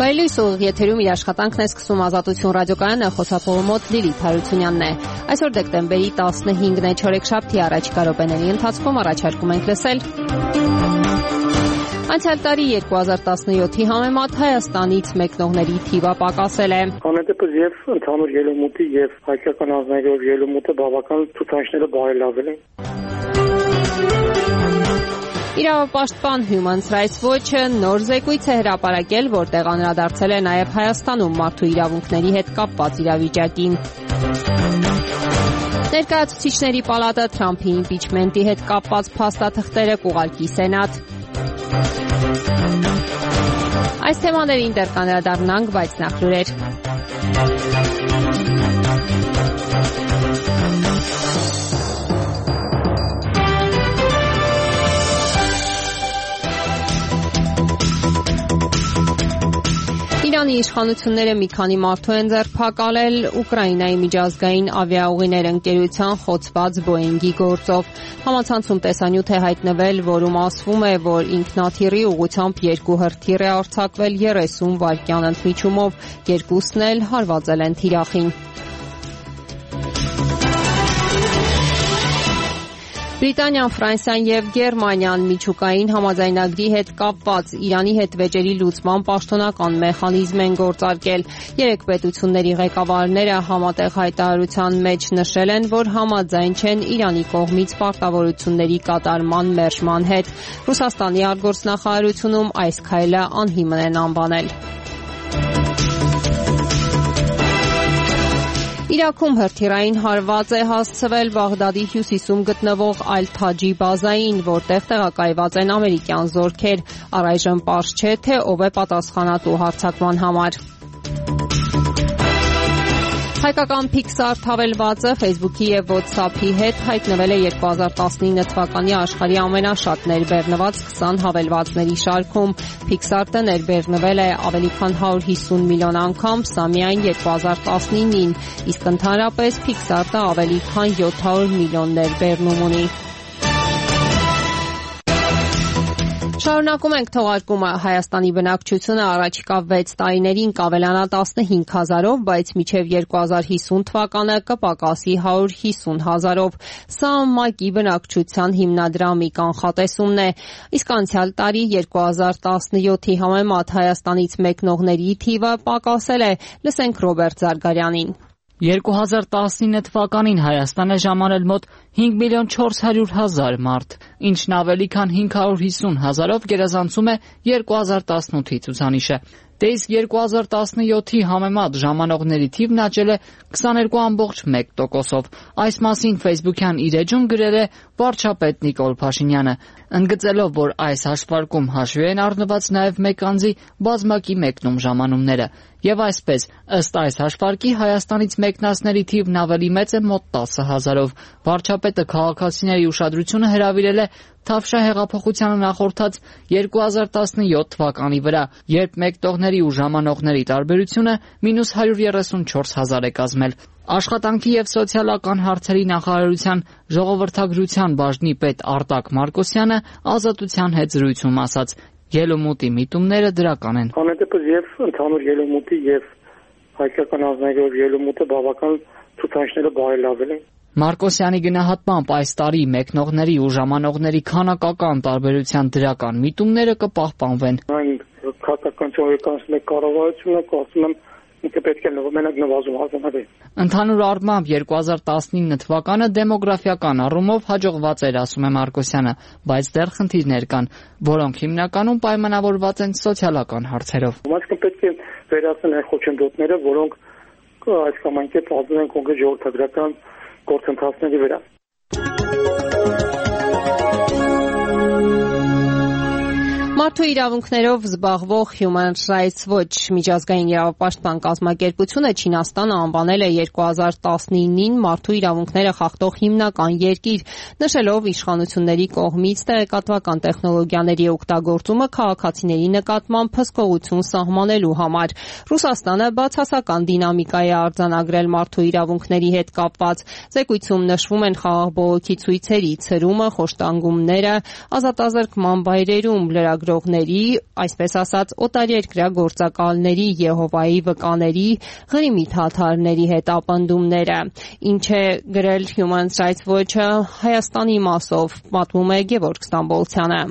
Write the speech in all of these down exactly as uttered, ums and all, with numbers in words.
Բարելույս ուղիղ եթերում իր աշխատանքն է սկսում Ազատություն ռադիոկայանը, խոսափողի մոտ Լիլիթ Հարությունյանն է։ Այսօր դեկտեմբերի տասնհինգն է, չորեքշաբթի առաջիկա րոպեների ընթացքում առաջարկում ենք լսել. Անցյալ տարի երկու հազար տասնյոթի համեմատ Հայաստանից մեկնողների թիվը պակասել է։ Անհետեւս եւ ընդհանուր ելումուտի եւ հայկական ազգայնով ելումուտը բավական ցուցանիշները բարելավել են։ Իրավապաշտպան Human Rights Watch-ը նոր զեկույց է հրապարակել, որտեղ անդրադարձել է նաև Հայաստանում մարդու իրավունքների հետ կապված իրավիճակին։ Ներկայացուցիչների պալատը Թրամփի իմպիչմենտի հետ կապված փաստաթղթերը կուղարկի Սենատ։ Այս թեմաներին դեռ կանդրադառնանք, բայց նախ լուրեր։ Իրանի իշխանությունները մի քանի մարդու են ձերբակալել Ուկրաինայի միջազգային ավիաուղիներ ընկերության խոցված Boeing-ի գործով։ Համացանցում տեսանյութ է հայտնվել, որում ասվում է, որ ինքնաթիռի ուղղությամբ երկու հրթիռ է արձակվել երեսուն վայրկյան ընդմիջումով, երկուսն էլ հարվածել են թիրախին։ Բրիտանիան, Ֆրանսիան եւ Գերմանիան միջուկային համաձայնագրի հետ կապված Իրանի հետ վեճերի լուծման պաշտոնական մեխանիզմ են գործարկել։ Երեք պետությունների ղեկավարները համատեղ հայտարարության մեջ նշել են, որ համաձայն չեն Իրանի կողմից պարտավորությունների կատարման մերժման հետ։ Ռուսաստանի արտգործնախարարությունում այս քայլը անհիմն են անվանել։ Իրաքում հրթիռային հարված է հասցվել Բաղդադի հյուսիսում գտնվող Ալ-Թաջի բազային, որտեղ տեղակայված են ամերիկյան զորքեր։ Առայժմ պարզ չէ, թե ով է պատասխանատու հարձակման համար։ Հայկական Pixar հավելվածը Facebook-ի եւ WhatsApp-ի հետ հայտնվել է երկու հազար տասնինը թվականի աշխարհի ամենաշատ ներբեռնված քսան հավելվածների շարքում։ Pixar-ը ներբեռնվել է ավելի քան հարյուր հիսուն միլիոն անգամ, սա միայն երկու հազար տասնինին, իսկ ընդհանրապես Pixar-ը ավելի քան յոթ հարյուր միլիոն ներբեռնում ունի։ Շարունակում ենք թողարկումը։ Հայաստանի բնակչությունը առաջիկա վեց տարիներին կավելանա տասնհինգ հազարով, բայց մինչև երկու հազար հիսուն թվականը կպակասի հարյուր հիսուն հազարով։ Սա ՄԱԿ-ի բնակչության հիմնադրամի կանխատեսումն է։ Իսկ անցյալ տարի երկու հազար տասնյոթի համեմատ Հայաստանից մեկնողների թիվը պակասել է։ Լսենք Ռոբերտ Զարգարյանին։ երկու հազար տասնինը թվականին Հայաստան է ժամանել մոտ հինգ միլիոն չորս հարյուր հազար մարդ, ինչն ավելի քան հինգ հարյուր հիսուն հազարով գերազանցում է երկու հազար տասնութի ցուցանիշը։ Դե իսկ երկու հազար տասնյոթի համեմատ ժամանողների թիվն աճել է քսաներկու կόμμα մեկ տոկոսով։ Այս մասին Facebook-յան իր էջում գրել է վարչապետ Նիկոլ Փաշինյանը, ընդգծելով, որ այս հաշվարկում հաշվի են առնված նաև մեկ անձի բազմակի մեկնում ժամանումները։ Եվ այսպես, ըստ այս հաշվարկի Հայաստանից մեկնածների թիվն ավելի մեծ է մոտ տասը հազարով։ Վարչապետը քաղաքացիների ուշադրությունը հրավիրել է Թավշյա հեղափոխությանը նախորդած երկու հազար տասնյոթ թվականի վրա, երբ մեկնողների ու ժամանողների տարբերությունը մինուս հարյուր երեսունչորս հազար է կազմել։ Աշխատանքի եւ սոցիալական հարցերի նախարարության ժողովրդագրության բաժնի պետ Արտակ Մարկոսյանը Ազատության հետ զրույցում ասաց. Ելումուտի միտումները դրական են։ Անհետեւս եւ ընդհանուր ելումուտի եւ հայկական ազգայնով ելումուտը բավական ցուցանիշները բարելավել են։ Մարկոսյանի գնահատմամբ այս տարի մեկնողների ու ժամանողների քանակական տարբերության դրական միտումները կպահպանվեն։ Այն քաղաքականացիոն կառավարությունը կարծում եմ ինքը պետք է նորմալ նվազում հասնի։ Ընդհանուր առմամբ երկու հազար տասնինը թվականը դեմոգրաֆիական առումով հաջողված էր, ասում է Մարկոսյանը, բայց դեռ խնդիրներ կան, որոնք հիմնականում պայմանավորված են սոցիալական հարցերով։ Ումասկը պետք է վերացնել այն խոչընդոտները, որոնք այս կամ այն կերպ ազդում են կոնկրետ ժողովրդագրական գործընթացների վրա։ Մարդու իրավունքներով զբաղվող Human Rights Watch միջազգային իրավապաշտպան կազմակերպությունը Չինաստանը անվանել է երկու հազար տասնինին մարդու իրավունքները խախտող հիմնական երկիր, նշելով իշխանությունների կողմից տեղեկատվական տեխնոլոգիաների օգտագործումը քաղաքացիների նկատմամբ հսկողություն սահմանելու համար։ Ռուսաստանը բացասական դինամիկա է արձանագրել մարդու իրավունքների հետ կապված։ Զեկույցում նշվում են խաղաղ բողոքի ցույցերի ցրումը, խոշտանգումները, ազատազրկման վայրերում լրագրող լրագրողների, այսպես ասած, օտարերկրյա գործակալների, Եհովայի վկաների, Ղրիմի թաթարների հետ ապնդումները։ Ինչ է գրել Human Rights Watch-ը Հայաստանի մասով, պատմում է Գևորգ Ստամբոլցյանը։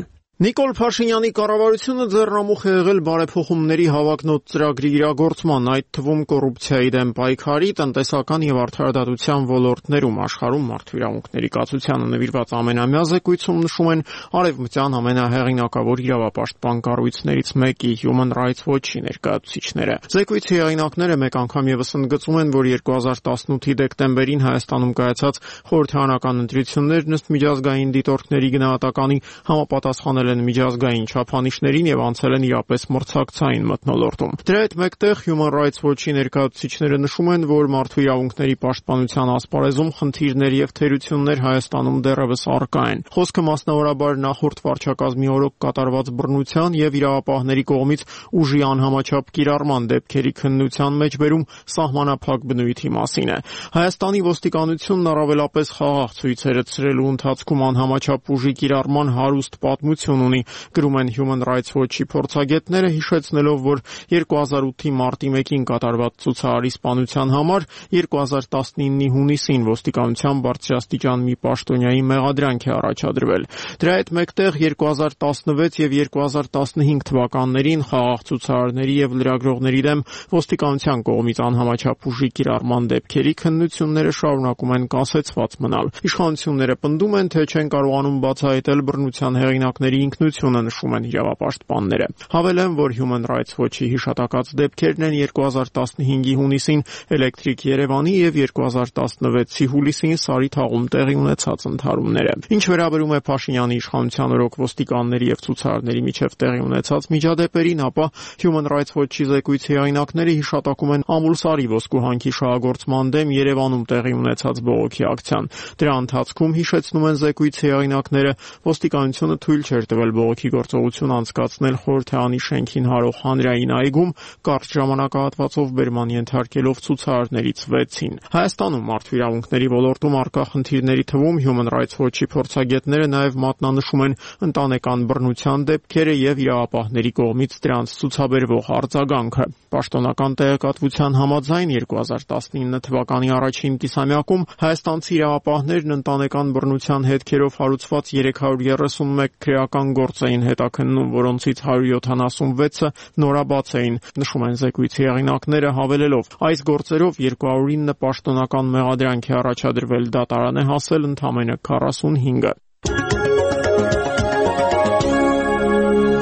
Նիկոլ Փաշինյանի կառավարությունը ձեռնամուխ է եղել բարեփոխումների հավակնոտ ծրագրի իրագործման, այդ թվում կոռուպցիայի դեմ պայքարի, տնտեսական եւ արդարադատության ոլորտներում աշխարհում մարդու իրավունքների կացությանը նվիրված ամենամյա զեկույցում նշում են արևմտյան ամենահեղինակավոր իրավապաշտպան կառույցներից մեկի Human Rights Watch-ի ներկայացուցիչները։ Զեկույցի հեղինակները մեկ անգամ եւս ընդգծում են, որ երկու հազար տասնութի դեկտեմբերին Հայաստանում կայացած խորհրդարանական ընտրություններն ըստ միջազգային դիտորդների գնահատականի համապատասխանել են միջազգային չափանիշներին եւ անցել են իրապես մրցակցային մթնոլորտում։ Դրա հետ մեկտեղ Human Rights Watch-ի ներկայացուցիչները նշում են, որ մարդու իրավունքների պաշտպանության ասպարեզում խնդիրներ եւ թերություններ Հայաստանում դեռևս առկա են։ Խոսքը մասնավորաբար նախորդ վարչակազմի օրոք կատարված բռնության եւ իրավապահների կողմից ուժի անհամաչափ կիրառման դեպքերի քննության մեջբերում սահմանափակ բնույթի մասին է։ Հայաստանի ոստիկանությունն առավելապես խաղաղ ցույցեր է ցրելու ընթացքում անհամաչափ ուժի կիրառման հարուստ պատմություն ունի, գրում են Human Rights Watch-ի փորձագետները, հիշեցնելով, որ երկու հազար ութի մարտի մեկին կատարված ցուցարարի սպանության համար երկու հազար տասնինի հունիսին ոստիկանության բարձրաստիճան մի պաշտոնյայի մեղադրանք է առաջադրվել։ Դրա հետ մեկտեղ երկու հազար տասնվեց եւ երկու հազար տասնհինգ թվականներին խաղաղ ցուցարարների եւ լրագրողների դեմ ոստիկանության կողմից անհամաչափ ուժի կիրառման դեպքերի քննությունները շարունակում են կասեցված մնալ։ Իշխանությունները պնդում են, թե չեն կարողանում բացահայտել բռնության հեղինակների ինքնությունը, նշում են իրավապաշտպանները։ Հավելեն, որ Human Rights Watch-ի հիշատակած դեպքերն են երկու հազար տասնհինգի հունիսին Էլեկտրիկ Երևանի եւ երկու հազար տասնվեցի հուլիսին Սարի թաղում տեղի ունեցած ընդհարումները։ Ինչ վերաբերում է Փաշինյանի իշխանության օրոք ոստիկանների եւ ցուցարարների միջև տեղի ունեցած միջադեպերին, ապա Human Rights Watch-ի զեկույցի հեղինակները հիշատակում են Ամուլսարի ոսկու հանքի շահագործման դեմ Երևանում տեղի ունեցած բողոքի ակցիան։ Դրա ընթացքում, հիշեցնում են զեկույցի հեղինակները, ոստիկանությունը թույլ չէր տվել բողոքի գործողություն անցկացնել խորհրդարանի շենքին հարող հանրային այգում, կարճ ժամանակահատվածով բերման ենթարկելով ցուցարարներից վեցին։ Հայաստանում մարդու իրավունքների ոլորտում առկա խնդիրների թվում Human Rights Watch-ի փորձագետները նաև մատնանշում են ընտանեկան բռնության դեպքերը եւ իրավապահների կողմից դրանց ցուցաբերվող արձագանքը։ Պաշտոնական տեղեկատվության համաձայն երկու հազար տասնինը թվականի առաջին կիսամյակում հայաստանցի իրավապահներն ընտանեկան բռնության հետքերով հարուցված երեք հարյուր երեսունմեկ քրեական գործ էին հետաքննում, որոնցից հարյուր յոթանասունվեցը նորաբաց էին, նշում են զեկույցի հեղինակները, հավելելով. այս գործերով երկու հարյուր ինը պաշտոնական մեղադրանք է առաջադրվել, դատարան է հասել ընդամենը քառասունհինգը։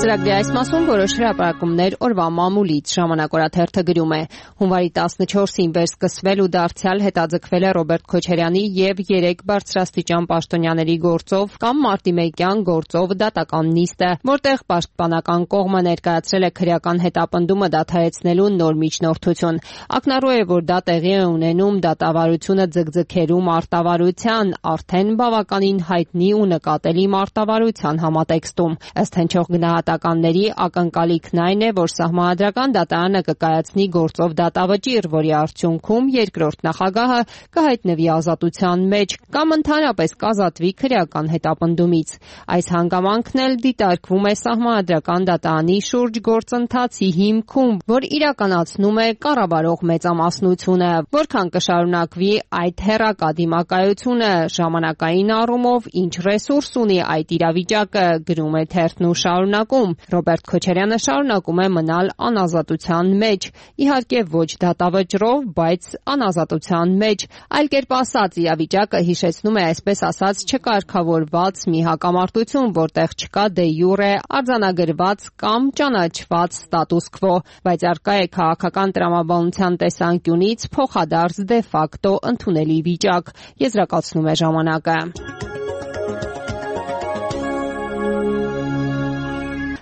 Ծրագրի այս մասում որոշ հրապարակումներ օրվա մամուլից ժամանակ օրաթերթը գրում է. հունվարի տասնչորսին վերսկսվել ու դարձյալ հետաձգվել է Ռոբերտ Քոչարյանի եւ երեք բարձրաստիճան պաշտոնյաների գործով կամ մարտի մեկյան գործով դատական նիստը, որտեղ պաշտպանական կողմը ներկայացրել է քրեական հետապնդումը դադարեցնելու նոր միջնորդություն։ Ակնառու է, որ դա տեղի է ունենում դատավարությունը ձգձգելու մարտավարության, արդեն բավականին հայտնի ու նկատելի մարտավարության համատեքստում։ Ըստ հնչող գնահատականների ակնկալիքն այն է, որ Սահմանադրական դատարանը կկայացնի գործով դատավճիռ, որի արդյունքում երկրորդ նախագահը կհայտնվի ազատության մեջ կամ ընդհանրապես կազատվի քրեական հետապնդումից։ Այս հանգամանքն էլ դիտարկվում է Սահմանադրական դատարանի շուրջ գործընթացի հիմքում, որ իրականացնում է կառավարող մեծամասնությունը, որքան կշարունակվի այդ հեռակա դիմակայությունը, ժամանակային առումով ինչ ռեսուրս ունի այդ իրավիճակը, գրում է թերթն ու շարունակում։ Ռոբերտ Քոչարյանը շարունակում է մնալ անազատության մեջ, իհարկե ոչ դատավճռով, բայց անազատության մեջ։ Այլ կերպ ասած, իրավիճակը հիշեցնում է այսպես ասած չկարգավորված մի հակամարտություն, որտեղ չկա դե յուրե արձանագրված կամ ճանաչված ստատուս քվո, բայց առկա է քաղաքական տրամաբանության տեսանկյունից փոխադարձ դե ֆակտո ընդունելի վիճակ, եզրակացնում է ժամանակը։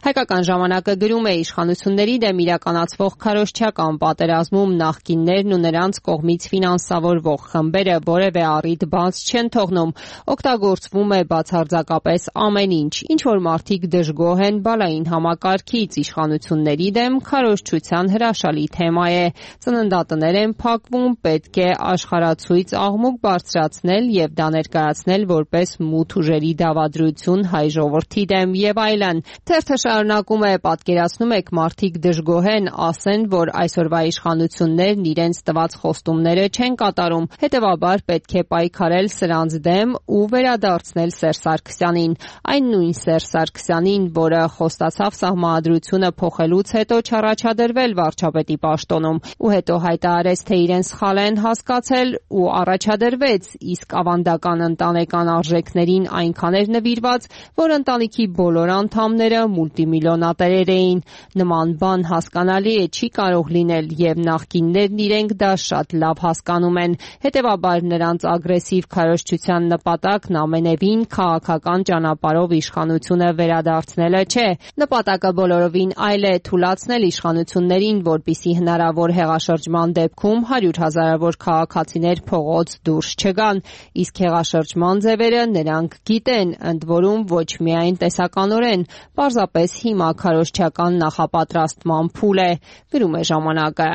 Հայկական ժամանակը գրում է իշխանությունների դեմ իրականացվող քարոզչական պատերազմում նախկիններն ու նրանց կողմից ֆինանսավորվող խմբերը որևէ առիթ բաց չեն թողնում, օգտագործվում է բացարձակապես ամեն ինչ, ինչ որ մարդիկ դժգոհ են բալային համակարգից, իշխանությունների դեմ քարոզչության հրաշալի թեմա է, ծննդատներ են փակվում, պետք է աշխարհացույց աղմուկ բարձրացնել եւ դա ներկայացնել որպես մութ ուժերի դավադրություն հայ ժողովրդի դեմ եւ այլն։ Թերթը շարունակում է, պատկերացնում եք, մարդիկ դժգոհ են, ասեն, որ այսօրվա իշխանություններն իրենց տված խոստումները չեն կատարում, հետևաբար պետք է պայքարել սրանց դեմ ու վերադարձնել Սերժ Սարգսյանին, այն նույն Սերժ Սարգսյանին, որը խոստացավ սահմանադրությունը փոխելուց հետո չառաջադրվել վարչապետի պաշտոնում ու հետո հայտարարեց, թե իրեն սխալ են հասկացել ու առաջադրվեց, իսկ ավանդական ընտանեկան արժեքներին այնքան էր նվիրված, որ ընտանիքի բոլոր անդամները մուլտիմիլիոնատերեր էին։ Նման բան հասկանալի է չի կարող լինել եւ նախկիններն իրենք դա շատ լավ հասկանում են։ Հետևաբար նրանց ագրեսիվ քարոզչության նպատակն ամենևին քաղաքական ճանապարհով իշխանությունը վերադարձնելը չէ։ Նպատակը բոլորովին այլ է՝ թուլացնել իշխանություններին, որպեսզի հնարավոր հեղաշրջման դեպքում հարյուր հազարավոր քաղաքացիներ փողոց դուրս չգան, իսկ հեղաշրջման ձևերը նրանք գիտեն, ընդ որում ոչ միայն տեսականորեն, պարզապես հիմա քարոզչական նախապատրաստման փուլ է, գրում է ժամանակը։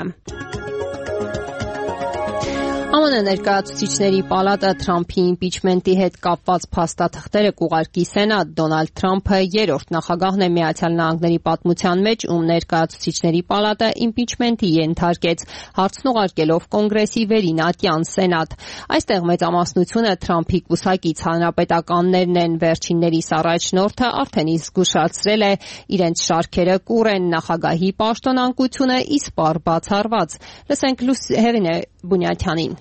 ԱՄՆ ներկայացուցիչների պալատը Թրամփի իմպիչմենտի հետ կապված փաստաթղթերը կուղարկի Սենատ։ Դոնալդ Թրամփը երրորդ նախագահն է Միացյալ Նահանգների պատմության մեջ, ում ներկայացուցիչների պալատը իմպիչմենտի ենթարկեց, հարցն ուղարկելով Կոնգրեսի վերինատյան Սենատ։ Այստեղ մեծամասնությունը Թրամփի կուսակից հանրապետականներն են։ Վերջիններիս առաջնորդը արդեն իսկ զգուշացրել է, իրենց շարքերը կուռ են, նախագահի պաշտոնանկությունը իսպառ բացառված։ Լսենք Հեղինե Բունյաթյանին։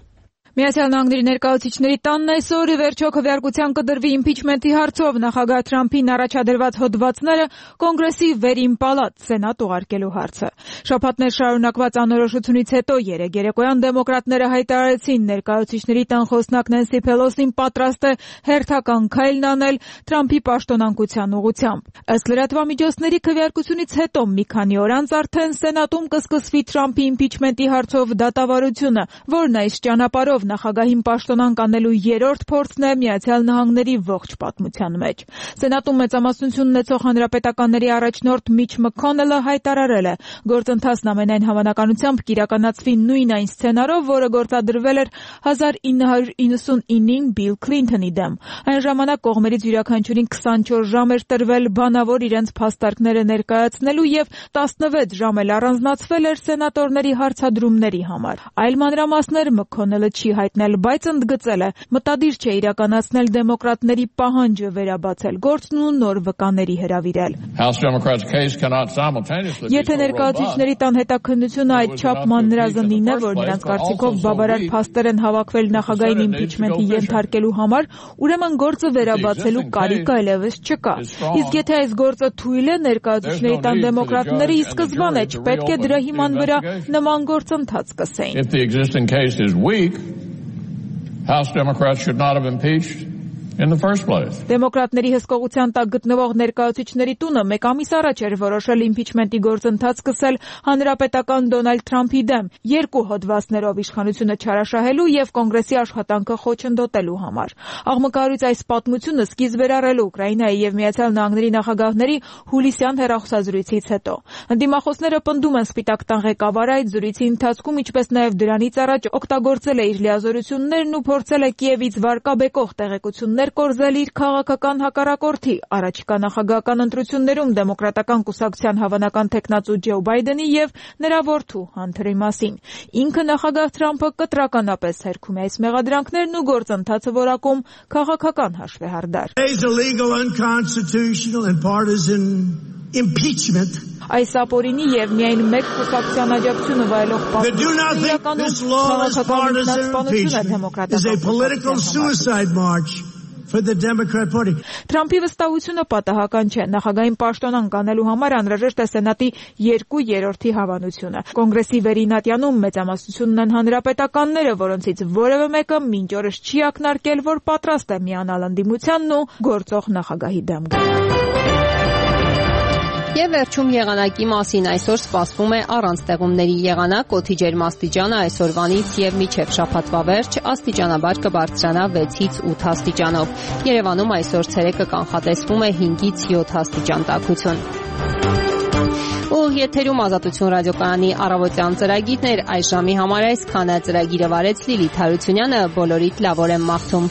Միացյալ Նահանգների ներկայացուցիչների տանն այսօր ի վերջո քվեարկության կդրվի իմպիչմենտի հարցով նախագահ Թրամփին առաջադրված հոդվածները Կոնգրեսի վերին պալատ Սենատ ուղարկելու հարցը։ Շաբաթներ շարունակված անորոշությունից հետո երեկ երեկոյան դեմոկրատները հայտարարեցին ներկայացուցիչների տան խոսնակ Նենսի Փելոսին պատրաստ է հերթական քայլն անել Թրամփի պաշտոնանկության ուղղությամբ։ Ըստ լրատվամիջոցների քվեարկությունից հետո մի քանի օր անց արդեն Սենատում կսկսվի Թրամփի իմպիչմենտի հարցով դատավարությունը, որն այս ճանապարհով նախագահին պաշտոնանկ անելու երրորդ փորձն է Միացյալ Նահանգների ողջ պատմության մեջ։ Սենատում մեծամասնություն ունեցող հանրապետականների առաջնորդ Միչ Մքոնելը հայտարարել է, գործընթացն ամենայն հավանականությամբ կիրականացվի նույն այն սցենարով, որը գործադրվել էր հազար ինը հարյուր իննսունինին Բիլ Քլինթոնի դեմ։ Այն ժամանակ կողմերից յուրաքանչյուրին քսանչորս ժամ էր տրվել բանավոր իրենց փաստարկները ներկայացնելու եւ տասնվեց ժամ էլ առանձնացվել էր սենատորների հարցադրումների համար։ Այլ մանրամասներ Մքոնելը չի հայտնել, բայց ընդգծել է, մտադիր չէ իրականացնել դեմոկրատների պահանջը վերաբացել գործն ու նոր վկաների հրավիրել։ Եթե ներկայացուցիչների տան հետաքննությունը այդչափ մանրազնին է, որ նրանց կարծիքով բավարար փաստեր են հավաքվել նախագահային իմպիչմենտի ենթարկելու համար, ուրեմն գործը վերաբացելու կարիք այլևս չկա։ Իսկ եթե այս գործը թույլ է, ներկայացուցիչների տան դեմոկրատները ի սկզբանե չպետք է դրա հիման վրա նման գործընթաց սկսեին։ House Democrats should not have impeached in the first place. Դեմոկրատների հսկողության տակ գտնվող ներկայացուցիչների տունը մեկ ամիս առաջ էր որոշել իմպիչմենտի գործընթաց սկսել հանրապետական Դոնալդ Թրամփի դեմ երկու հոդվածներով իշխանությունը չարաշահելու եւ կոնգրեսի աշխատանքը խոչընդոտելու համար։ Աղմկարույց այս պատմությունը սկիզբ էր առել Ուկրաինայի եւ Միացյալ Նահանգների նախագահների հուլիսյան հեռախոսազրույցից հետո։ Ընդդիմախոսները պնդում են Սպիտակ տան ղեկավարը այդ զրույցի ընթացքում, ինչպես նաեւ դրանից առաջ օգտագործել է իր լիազորություններն ու փորձել է Կիևից վարկաբեկող տեղեկություններ կորզել իր քաղաքական հակառակորդի առաջիկա նախագահական ընտրություններում դեմոկրատական կուսակցության հավանական թեկնածու Ջո Բայդենի եւ նրա որդու Հանթերի մասին։ Ինքը նախագահ Թրամփը կտրականապես հերքում է այս մեղադրանքներն ու գործընթացը որակում քաղաքական հաշվեհարդար։ Impeachment. Այս ապօրինի եւ միայն մեկ կուսակցության աջակցությունը վայելող պատմություն Թրամփի վստահությունը պատահական չէ։ Նախագահային պաշտոնանկ անելու համար անհրաժեշտ է Սենատի երկու երրորդի հավանությունը։ Կոնգրեսի վերինատյանում մեծամասնությունն են հանրապետականները, որոնցից որևէ մեկը մինչ օրս չի ակնարկել, որ պատրաստ է միանալ ընդդիմությանն ու գործող նախագահի դեմ գալ։ Եվ վերջում եղանակի մասին այսօր սպասվում է առանց տեղումների եղանակ, օդի ջերմաստիճանը այսօրվանից եւ մինչեւ շաբաթվա վերջ աստիճանաբար կբարձրանա վեցից ութ աստիճանով։ Երևանում այսօր ցերեկը կանխատեսվում է հինգից յոթ աստիճան տաքություն։ Ու եթերում Ազատություն ռադիոկայանի առավոտյան ծրագիրներ այս ժամի համար այսքանը։ Ծրագիրը վարեց Լիլիթ Հարությունյանը, բոլորիդ լավ օր եմ մաղթում։